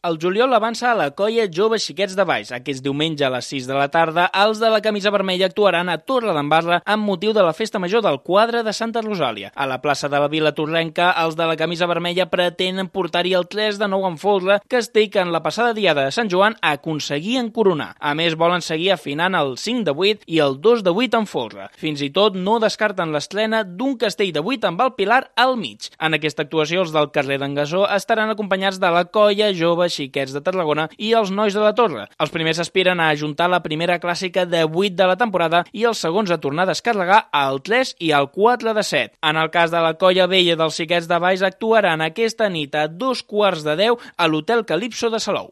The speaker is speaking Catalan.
El juliol avança a la colla Joves Xiquets de Valls. Aquest diumenge a les 6 de la tarda, els de la camisa vermella actuaran a Torre d'en Barla amb motiu de la festa major del quadre de Santa Rosàlia. A la plaça de la Vila Torrenca, els de la camisa vermella pretenen portar-hi el 3 de 9 en folre, castell que en la passada diada de Sant Joan aconseguien coronar. A més, volen seguir afinant el 5 de 8 i el 2 de 8 en folre. Fins i tot no descarten l'estrena d'un castell de 8 amb el pilar al mig. En aquesta actuació, els del carrer d'en Gasó estaran acompanyats de la colla Joves Xiquets de Tarragona i els nois de la Torre. Els primers aspiren a ajuntar la primera clàssica de 8 de la temporada i els segons a tornar a descarregar el 3 i el 4 de 7. En el cas de la colla vella dels Xiquets de Valls, actuaran aquesta nit a 2:15 a l'Hotel Calipso de Salou.